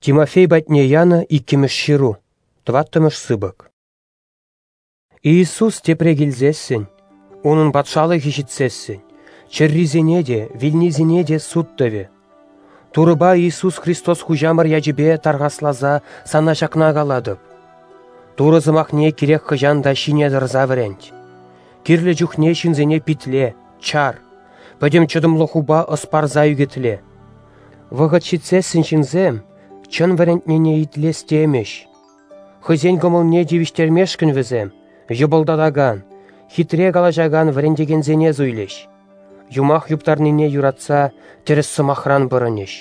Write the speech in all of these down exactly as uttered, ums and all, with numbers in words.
Тимофей патне янӑ иккӗмӗш ҫыру, тӑваттӑмӗш сыпӑк. Иисус тепре килсессӗн, Унӑн патшалӑхӗ ҫитсессӗн, чӗррисене те, вилнисене те суд тӑвӗ. Турӑпа Иисус Христос Хуҫамӑр ячӗпе тархасласа сана ҫакна калатӑп. Турӑ сӑмахне кирек хӑҫан та ҫине тӑрса вӗрент. Кирлӗ чухне ҫынсене питле, чар, пӗтӗм чӑтӑмлӑхупа ӑс парса ӳкӗтле. Вӑхӑт ҫитсессӗн ҫынсем чӑн вӗрентнине итлес темӗҫ. Хӑйсен кӑмӑлне тивӗҫтермешкӗн вӗсем йӑпӑлтатакан, хитре калаҫакан вӗрентекенсене суйлӗҫ. Юмах юптарнине юратса тӗрӗс сӑмахран пӑрӑнӗҫ.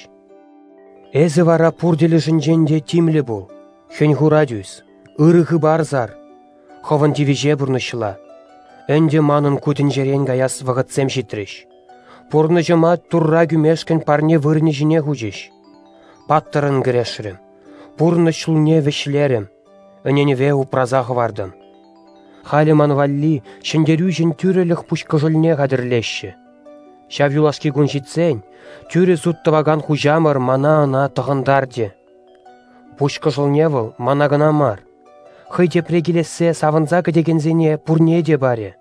Эсӗ вара пур тӗлӗшӗнчен те тимлӗ пул, хӗн-хура тӳс, ырӑ хыпар сар, хӑвӑн тивӗҫе пурнӑҫла. Ӗнтӗ манӑн ку тӗнчерен каяс вӑхӑтсем ҫитрӗҫ. Пурнӑҫӑма Турра кӳмешкӗн парне вырӑнӗ ҫине хучӗҫ. Паттӑрӑн кӗрешрӗм, пурнӑҫ ҫулне вӗҫлерӗм, ӗненӗве упраса хӑвартӑм. Халӗ ман валли ҫӗнтерӳҫӗн тӳрӗлӗх пуҫкӑшӑлне хатӗрлеҫҫӗ. Ҫав юлашки кун ҫитсен, тӳрӗ суд тӑвакан хуҫамӑр мана ӑна тӑхӑнтарчӗ. Пуҫкӑшӑлне вӑл мана кӑна мар, хӑй тепре килессе савӑнса кӗтекенсене пурне те парӗ.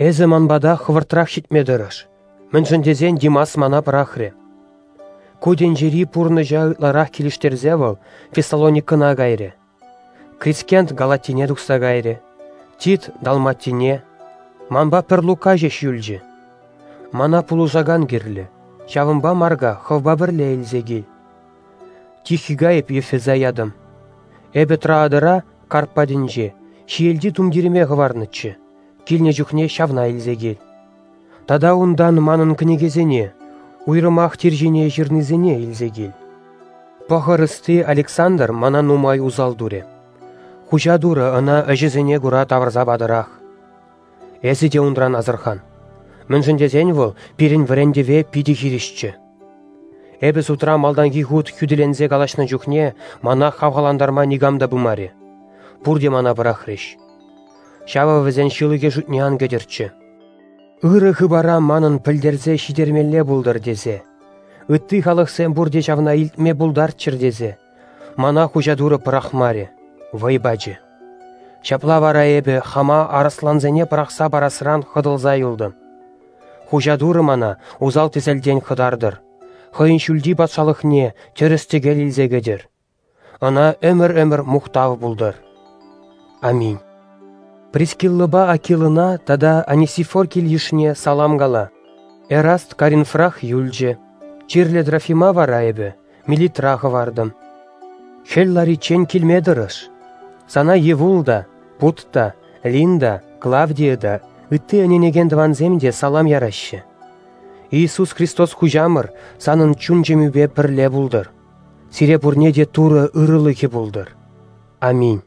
Эсӗ ман пата хӑвӑртрах ҫитме тӑрӑш, мӗншӗн тесен Димас мана пӑрахрӗ. Ку тӗнчери пурнӑҫа ытларах килӗштерсе вӑл Фессалоникӑна кайрӗ. Крискент Галатине тухса кайрӗ, Тит Далматине, манпа пӗр Лука ҫеҫ юлчӗ. Мана пулӑшакан кирлӗ, ҫавӑнпа Марка хӑвпа пӗрле илсе кил. Тихика эп Ефеса ятӑм. Эпӗ Троадӑра, Карп патӗнче, ҫиелти тумтирӗме хӑварнӑччӗ, килнӗ чухне ҫавна илсе кил. Тата унтан манӑн кӗнекесене, уйрӑмах тир ҫине ҫырнисене илсе кил. Пӑхӑр ӑсти Александр мана нумай усал турӗ. Хуҫа Турӑ ӑна ӗҫӗсене кура тавӑрса патӑрах. Эсӗ те унран асӑрхан. Мӗншӗн тесен вӑл пирӗн вӗрентӗве питӗ хирӗҫчӗ. Эпӗ судра малтанхи хут хӳтӗленсе калаҫнӑ чухне мана хавхалантарма никам та пымарӗ. Пурте мана пӑрахрӗҫ. Ҫавӑ вӗсен ҫылӑхӗ шутне ан кӗтӗрччӗ. Ырӑ хыпара манӑн пӗлтерсе ҫитермелле пултӑр тесе, ытти халӑхсем пурте ҫавна илтме пултарччӑр тесе, мана Хуҫа Турӑ пӑрахмарӗ, вӑй пачӗ. Ҫапла вара эпӗ хама арӑслансене пӑрахса парасран хӑтӑлса юлтӑм. Хуҫа Турӑ мана усал тӗселтен хӑтартӑр, хӑйӗн ҫӳлти патшалӑхне тӗрӗс-тӗкел илсе кӗтӗр. Ӑна ӗмӗр-ӗмӗр мухтав пултӑр. Аминь. Прискиллӑпа Акилӑна тата Анисифор кил-йышне салам кала. Эраст Коринфрах юлчӗ. Чирлӗ Трофима вара эпӗ Милитра хӑвартӑм. Хӗл лариччен килме тӑрӑш. Сана Евул та, Пут та, Лин та, Клавдия та, ытти ӗненекен тӑвансем те салам яраҫҫӗ. Иисус Христос Хуҫамӑр санӑн чун-чӗмӳпе пӗрле пултӑр. Сире пурне те Турӑ ырӑлӑхӗ пултӑр. Аминь.